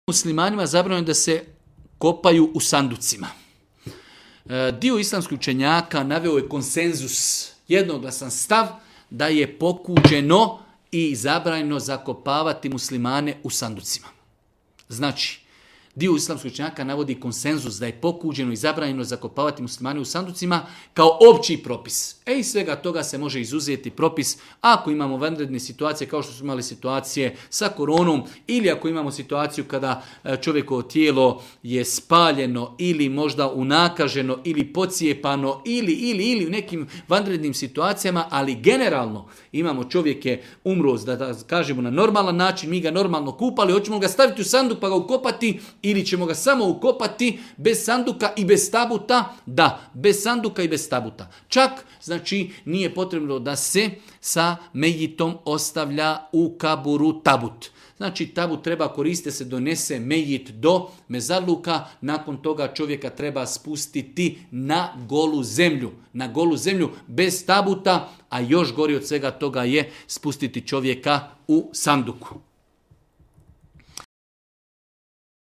Muslimanima zabranjeno da se kopaju u sanducima. Dio islamskih učenjaka naveo je konsenzus, jednoglasan stav da je pokuđeno i zabranjeno zakopavati muslimane u sanducima. Znači, dio islamskih učenjaka navodi konsenzus da je pokuđeno i zabranjeno zakopavati muslimane u sanducima kao opći propis. Iz svega toga se može izuzeti propis ako imamo vanredne situacije kao što smo imali situacije sa koronom ili ako imamo situaciju kada čovjekovo tijelo je spaljeno ili možda unakaženo ili pocijepano ili u nekim vanrednim situacijama, ali generalno imamo čovjek je umro, da kažemo na normalan način, mi ga normalno kupali, hoćemo ga staviti u sanduk pa ga ukopati ili ćemo ga samo ukopati bez sanduka i bez tabuta? Da, bez sanduka i bez tabuta. Čak, znači, nije potrebno da se sa mejitom ostavlja u kaburu tabut. Znači, tabut treba koristiti, se donese mejit do mezarluka, nakon toga čovjeka treba spustiti na golu zemlju. Na golu zemlju bez tabuta, a još gori od svega toga je spustiti čovjeka u sanduku.